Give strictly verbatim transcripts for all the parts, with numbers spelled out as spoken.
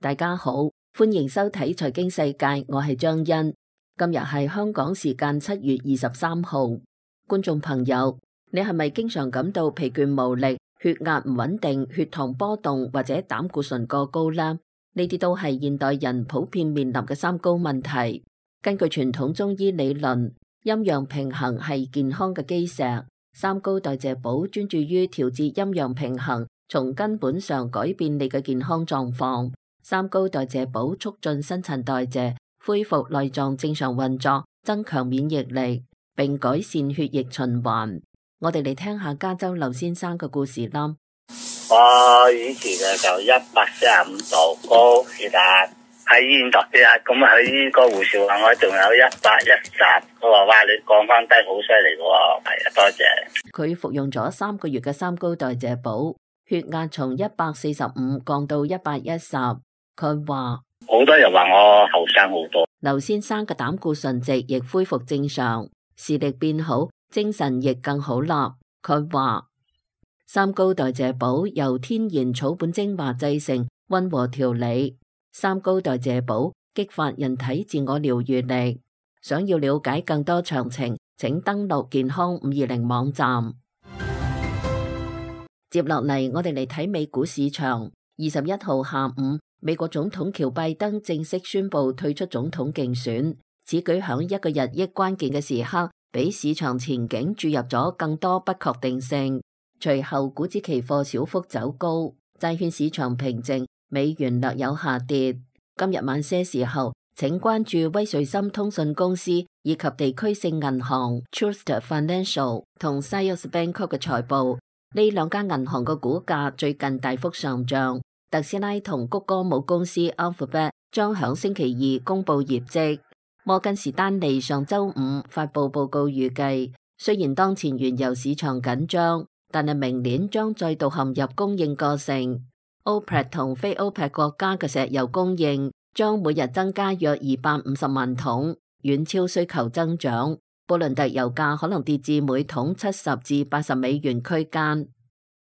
大家好，歡迎收睇財經世界，我係張欣。今日係香港時間七月二十三號。觀眾朋友，你係咪經常感到疲倦無力、血壓唔穩定、血糖波動或者膽固醇過高呢？呢啲都係現代人普遍面臨嘅三高問題。根據傳統中醫理論，陰陽平衡係健康嘅基石。三高代謝寶專注於調節陰陽平衡，從根本上改變你嘅健康狀況。三高代謝寶促進新陳代謝，恢復內臟正常運作，增強免疫力，並改善血液循環。我哋嚟聽下加州劉先生嘅故事啦。我以前咧就一百四十五度高血壓，喺醫院度血壓，咁喺個護士話我仲有一百一十，佢話哇你降翻低好犀利喎，係啊，多謝。佢服用咗三個月嘅三高代謝寶，血壓從一百四十五降到一百一十。佢話好多人話我後生好多。劉先生嘅膽固醇值亦恢復正常，視力變好，精神亦更好啦。佢話三高代謝寶由天然草本精華製成，溫和調理。三高代謝寶激發人體自我療癒力。想要了解更多詳情，請登錄健康五二零網站。接落嚟，我哋嚟睇美股市場。二十一號下午，美國總統喬拜登正式宣布退出總統競選，此舉響一個日益關鍵嘅時刻，俾市場前景注入咗更多不確定性。隨後，股指期貨小幅走高，債券市場平靜，美元略有下跌。今日晚些時候，請關注威瑞森通訊公司以及地區性銀行 Truist Financial 同 Zions Bancorp 嘅財報。呢兩間銀行嘅股價最近大幅上漲。特斯拉同谷歌母公司 Alphabet 將響星期二公布業績。摩根士丹利上周五發布報告，預計雖然當前原油市場緊張，但係明年將再度陷入供應過剩。OPEC 同非 OPEC 國家嘅石油供應將每日增加約二百五十萬桶，遠超需求增長。布倫特油價可能跌至每桶七十至八十美元區間。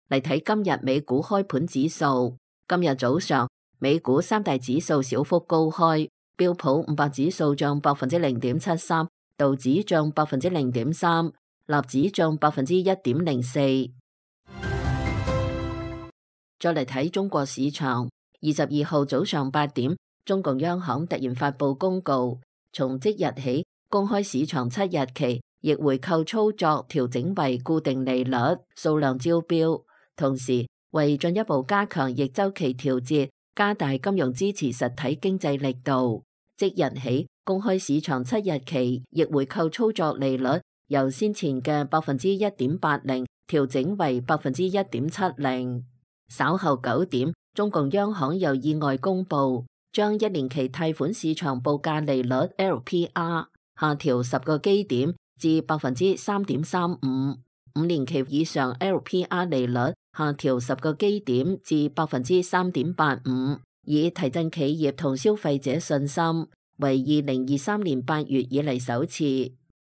嚟睇今日美股開盤指數。今日早上，美股三大指數小幅高開，標普五百指數漲百分之零點七三，道指漲百分之零點三，納指漲百分之一點零四。再嚟睇中國市場，二十二號早上八點，中共央行突然發布公告，從即日起公開市場七日期逆回購操作調整為固定利率，數量招標，同時為進一步加強逆周期調節，加大金融支持實體經濟力度，即日起公開市場七日期逆回購操作利率由先前嘅百分之一點八零調整為百分之一點七零。稍後九點，中共央行又意外公布，將一年期貸款市場報價利率 L P R 下調十個基點至百分之三點三五，五年期以上 L P R 利率下調十個基點至百分之三點八五，以提振企業同消費者信心，為二零二三年八月以嚟首次。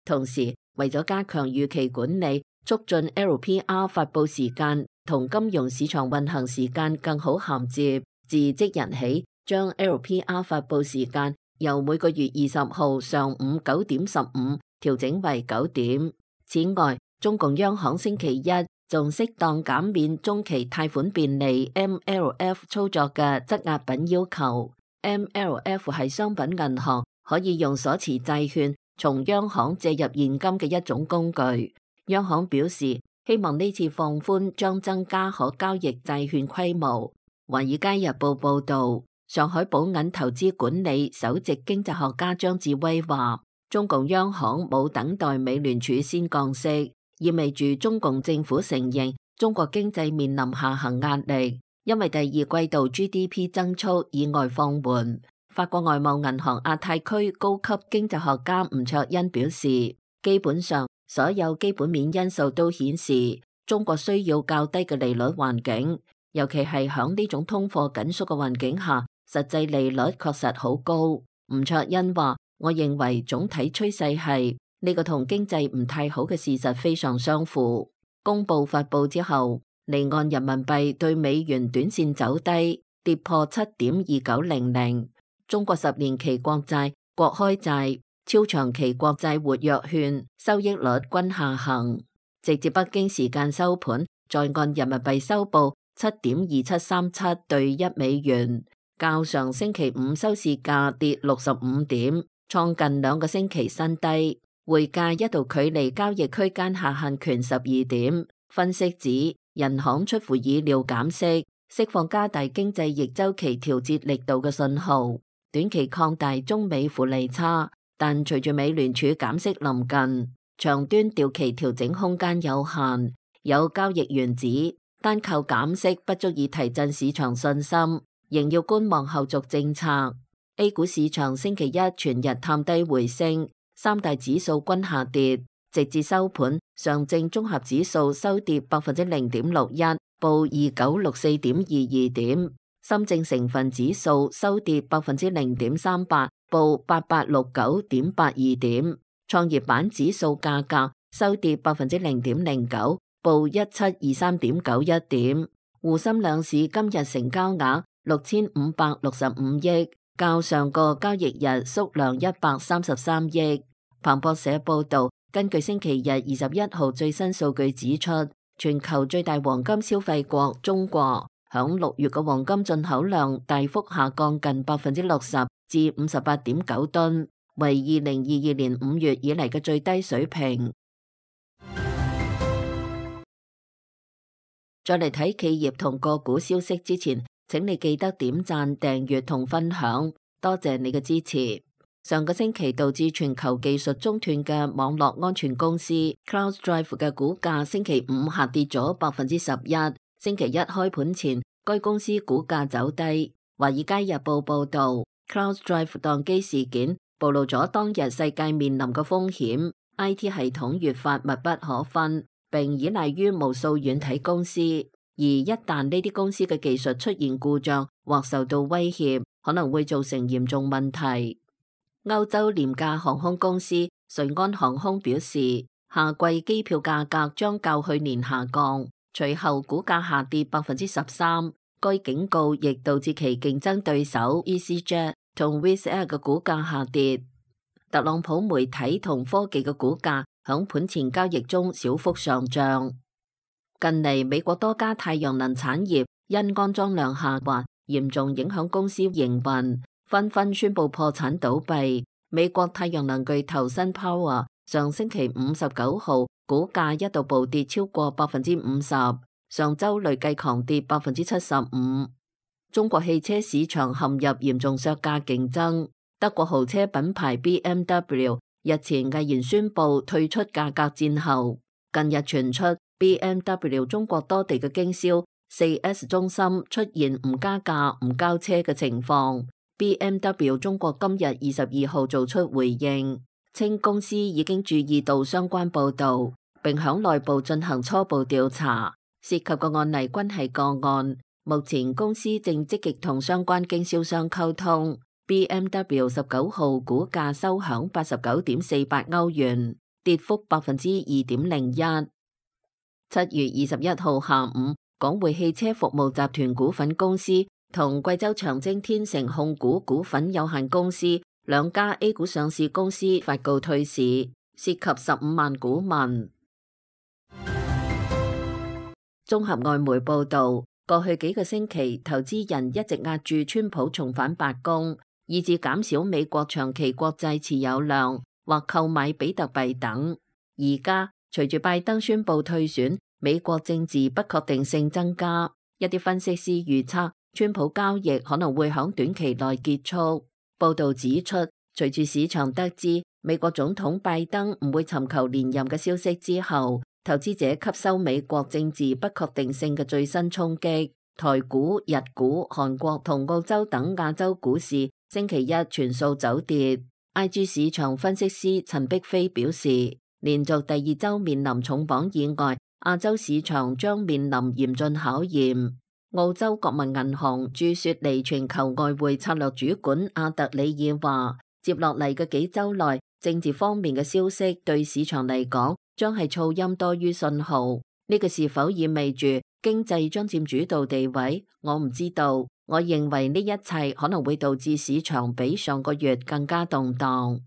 同時，為咗加強預期管理，促進 L P R 發佈時間同金融市場運行時間更好銜接，自即日起將 L P R 發佈時間由每個月二十號上午九點十五調整為九點。此外，中共央行星期一仲適當減免中期貸款便利 M L F 操作嘅質押品要求。M L F 係商品銀行可以用所持債券從央行借入現金嘅一種工具。央行表示，希望呢次放寬將增加可交易債券規模。華爾街日報報道，上海寶銀投資管理首席經濟學家張志威話，中共央行冇等待美聯儲先降息，意味住中共政府承認中國經濟面臨下行壓力，因為第二季度 G D P 增速意外放緩。法國外貿銀行亞太區高級經濟學家吳卓恩表示，基本上所有基本面因素都顯示中國需要較低嘅利率環境，尤其係響呢種通貨緊縮嘅環境下，實際利率確實好高。吳卓恩話，我認為總體趨勢係呢個同經濟唔太好嘅事實非常相符。公佈發佈之後，離岸人民幣對美元短線走低，跌破七點二九零零。中國十年期國債、國開債、超長期國債活躍券收益率均下行，直至北京時間收盤，在岸人民幣收報七點二七三七兌一美元，較上星期五收市價跌六十五點，創近兩個星期新低。匯價一度距離交易區間下限權十二點。分析指，人行出乎意料減息，釋放加大經濟逆周期調節力度嘅信號，短期擴大中美負利差。但隨住美聯儲減息臨近，長端調期調整空間有限。有交易員指，單靠減息不足以提振市場信心，仍要觀望後續政策。A 股市場星期一全日探低回升，三大指數均下跌，直至收盤，上證綜合指數收跌百分之零點六一，報二九六四點二二點；深證成分指數收跌百分之零點三八，報八八六九點八二點；創業板指數價格收跌百分之零點零九，報一七二三點九一點。滬深兩市今日成交額六千五百六十五億。較上個交易日縮量一百三十三億。彭博社報道，根據星期日二十一號最新數據指出，全球最大黃金消費國中國響六月嘅黃金進口量大幅下降近百分之六十至五十八點九噸，為二零二二年五月以嚟嘅最低水平。再嚟睇企業同個股消息之前，請你記得點讚、訂閱同分享，多謝你嘅支持。上個星期導致全球技術中斷嘅網絡安全公司 CrowdStrike 嘅股價星期五下跌咗百分之十一。星期一開盤前，該公司股價走低。華爾街日報報道 ，CrowdStrike 宕機事件暴露咗當日世界面臨嘅風險 ，I T 系統越發密不可分，並依賴於無數軟體公司。而一旦呢啲公司嘅技術出現故障或受到威脅，可能會造成嚴重問題。歐洲廉價航空公司瑞安航空表示，夏季機票價格將較去年下降，隨後股價下跌百分之十三。該警告亦導致其競爭對手 EasyJet 同 Wizz Air 嘅股價下跌。特朗普媒體同科技嘅股價響盤前交易中小幅上漲。近嚟，美國多家太陽能產業因安裝量下滑，嚴重影響公司營運，紛紛宣布破產倒閉。美國太陽能巨頭 SunPower 上星期五十九號股價一度暴跌超過百分之五十，上周累計狂跌百分之七十五。中國汽車市場陷入嚴重削價競爭，德國豪車品牌 B M W 日前毅然宣布退出價格戰後，近日傳出B M W 中國多地嘅經銷 四 S 中心出現唔加價唔交車嘅情況。B M W 中國今日二十二號做出回應，稱公司已經注意到相關報道，並響內部進行初步調查，涉及嘅案例均係個案。目前公司正積極同相關經銷商溝通。B M W 十九號股價收響八十九點四八歐元，跌幅百分之二點零一。七月二十一號下午，港匯汽車服務集團股份公司同貴州長征天成控股股份有限公司兩家 A 股上市公司發告退市，涉及十五萬股民。綜合外媒報道，過去幾個星期，投資人一直壓住川普重返白宮，以致減少美國長期國債持有量或購買比特幣等。而家隨住拜登宣布退選，美國政治不確定性增加，一啲分析師預測川普交易可能會響短期內結束。報道指出，隨住市場得知美國總統拜登唔會尋求連任嘅消息之後，投資者吸收美國政治不確定性嘅最新衝擊，台股、日股、韓國同澳洲等亞洲股市星期一全數走跌。I G 市場分析師陳碧飛表示，連續第二周面臨重磅意外，亞洲市場將面臨嚴峻考驗。澳洲國民銀行駐雪梨全球外匯策略主管阿特里爾話，接落嚟嘅幾周內，政治方面嘅消息對市場嚟講將係噪音多於信號。呢個是否意味住經濟將佔主導地位？我唔知道。我認為呢一切可能會導致市場比上個月更加動盪。《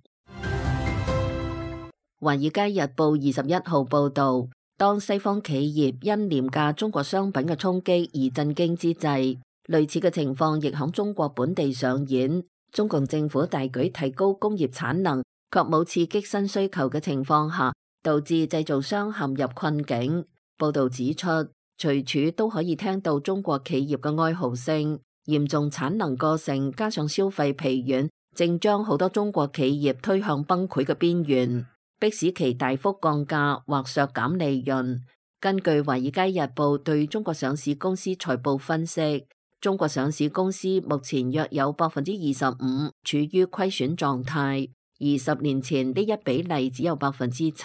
華爾街日報》二十一號報導，當西方企業因廉價中國商品嘅衝擊而震驚之際，類似嘅情況亦響中國本地上演。中共政府大舉提高工業產能，卻冇刺激新需求嘅情況下，導致製造商陷入困境。報導指出，隨處都可以聽到中國企業嘅哀嚎聲，嚴重產能過剩加上消費疲軟，正將好多中國企業推向崩潰嘅邊緣，迫使其大幅降價或削減利潤。根據《華爾街日報》對中國上市公司財報分析，中國上市公司目前約有百分之二十五處於虧損狀態，而十年前呢一比例只有百分之七。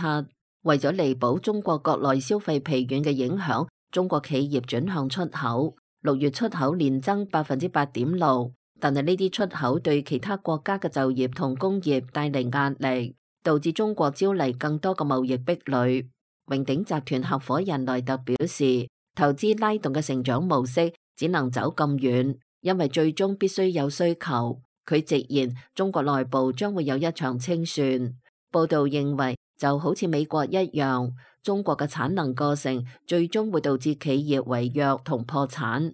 為咗彌補中國國內消費疲軟嘅影響，中國企業轉向出口，六月出口年增百分之八點六，但係呢啲出口對其他國家嘅就業同工業帶嚟壓力，導致中國招嚟更多嘅貿易壁壘。榮鼎集團合夥人萊特表示，投資拉動嘅成長模式只能走咁遠，因為最終必須有需求。佢直言，中國內部將會有一場清算。報道認為，就好似美國一樣，中國嘅產能過剩最終會導致企業違約同破產。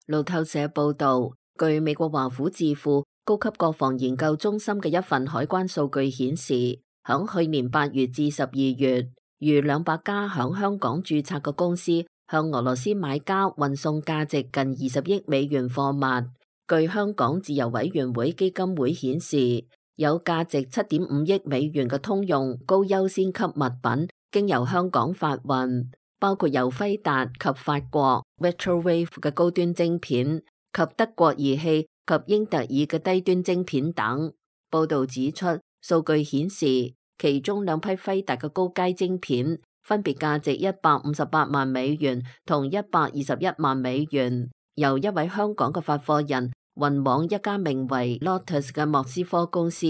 路透社報道，據美國華府智庫高級國防研究中心嘅一份海關數據顯示，響去年八月至十二月，逾兩百家響香港註冊嘅公司向俄羅斯買家運送價值近二十億美元貨物。據香港自由委員會基金會顯示，有價值七點五億美元嘅通用高優先級物品經由香港發運，包括由輝達及法國 Retrowave 嘅高端晶片及德國儀器及英特爾嘅低端晶片等。報道指出，數據顯示其中兩批輝達嘅高階晶片分別價值一百五十八萬美元同一百二十一萬美元，由一位香港嘅發貨人運往一家名為 Lotus 嘅莫斯科公司。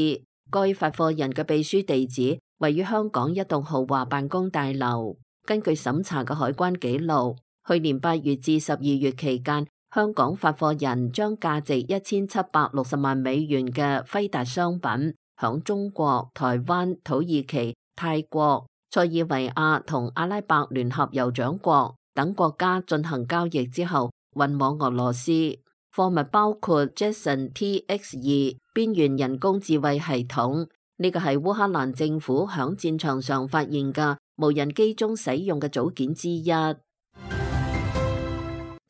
該發貨人嘅秘書地址位於香港一棟豪華辦公大樓。根據審查嘅海關記錄，去年八月至十二月期間，香港發貨人將價值一千七百六十萬美元嘅輝達商品響中國、台灣、土耳其、泰國、塞爾維亞同阿拉伯聯合酋長國等國家進行交易之後運往俄羅斯。貨物包括 Jetson T X 二 邊緣人工智慧系統，呢個係烏克蘭政府響戰場上發現嘅無人機中使用嘅組件之一。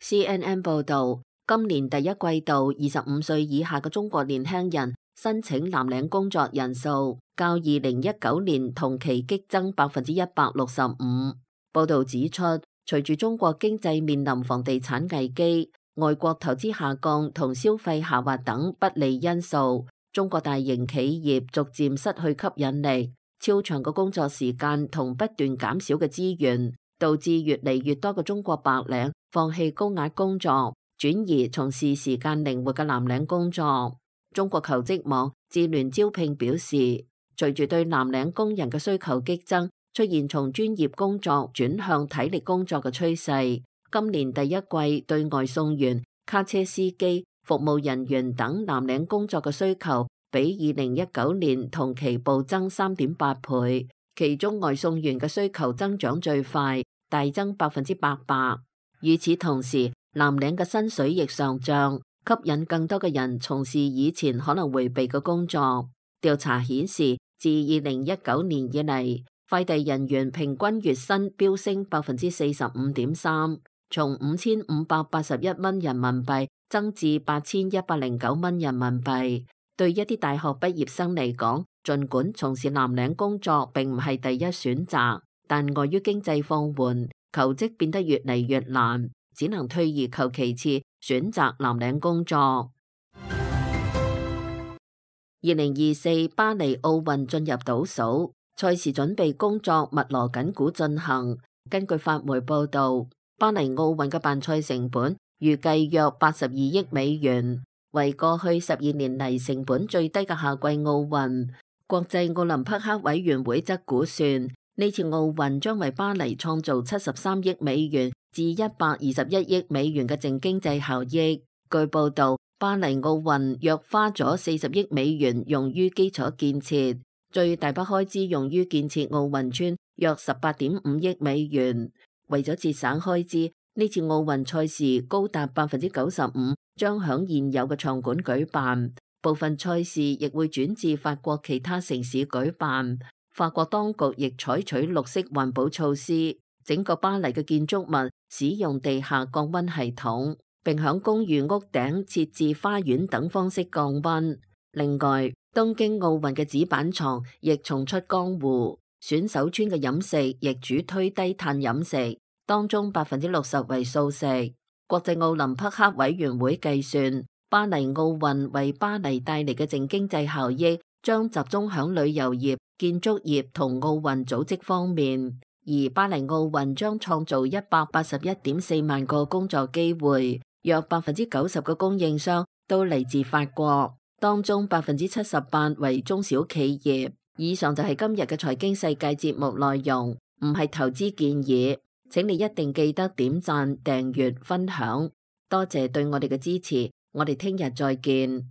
C N N 報道，今年第一季度二十五歲以下嘅中國年輕人申請藍領工作人數較二零一九年同期激增百分之一百六十五。報道指出，隨住中國經濟面臨房地產危機、外國投資下降同消費下滑等不利因素，中國大型企業逐漸失去吸引力。超長嘅工作時間同不斷減少嘅資源，導致越嚟越多嘅中國白領放棄高壓工作，轉移從事時間靈活嘅藍領工作。中國求職網智聯招聘表示，隨住對藍領工人嘅需求激增，出現從專業工作轉向體力工作嘅趨勢。今年第一季對外送員、卡車司機、服務人員等藍領工作嘅需求比二零一九年同期暴增三點八倍，其中外送員嘅需求增長最快，大增百分之八百。與此同時，藍領嘅薪水亦上漲，吸引更多嘅人從事以前可能迴避嘅工作。調查顯示，自二零一九年以嚟，快遞人員平均月薪飆升百分之四十五點三，從五千五百八十一蚊人民幣增至八千一百零九蚊人民幣。對一啲大學畢業生嚟講，儘管從事藍領工作並唔係第一選擇，但礙於經濟放緩，求職變得越嚟越難，只能退而求其次，選擇藍領工作。二零二四巴黎奧運進入倒數，賽事準備工作密鑼緊鼓進行。根據法媒報導，巴黎奧運嘅辦賽成本預計約八十二億美元，為過去十二年嚟成本最低嘅夏季奧運。國際奧林匹克委員會則估算，呢次奧運將為巴黎創造七十三億美元至一百二十一億美元嘅淨經濟效益。據報道，巴黎奧運約花咗四十億美元用於基礎建設，最大筆開支用於建設奧運村約十八點五億美元。為咗節省開支，呢次奧運賽事高達百分之九十五將響現有嘅場館舉辦，部分賽事亦會轉至法國其他城市舉辦。法國當局亦採取綠色環保措施，整個巴黎嘅建築物使用地下降溫系統，並響公寓屋頂設置花園等方式降溫。另外，東京奧運嘅紙板床亦重出江湖，選手村嘅飲食亦主推低碳飲食，當中百分之六十為素食。國際奧林匹克委員會計算，巴黎奧運為巴黎帶嚟嘅淨經濟效益將集中響旅遊業、建築業同奧運組織方面，而巴黎奧運將創造一百八十一點四萬個工作機會，約百分之九十嘅供應商都嚟自法國，當中百分之七十八為中小企業。以上就係今日嘅財經世界節目內容，唔係投資建議，請你一定記得點讚、訂閱、分享，多謝對我哋嘅支持，我哋聽日再見。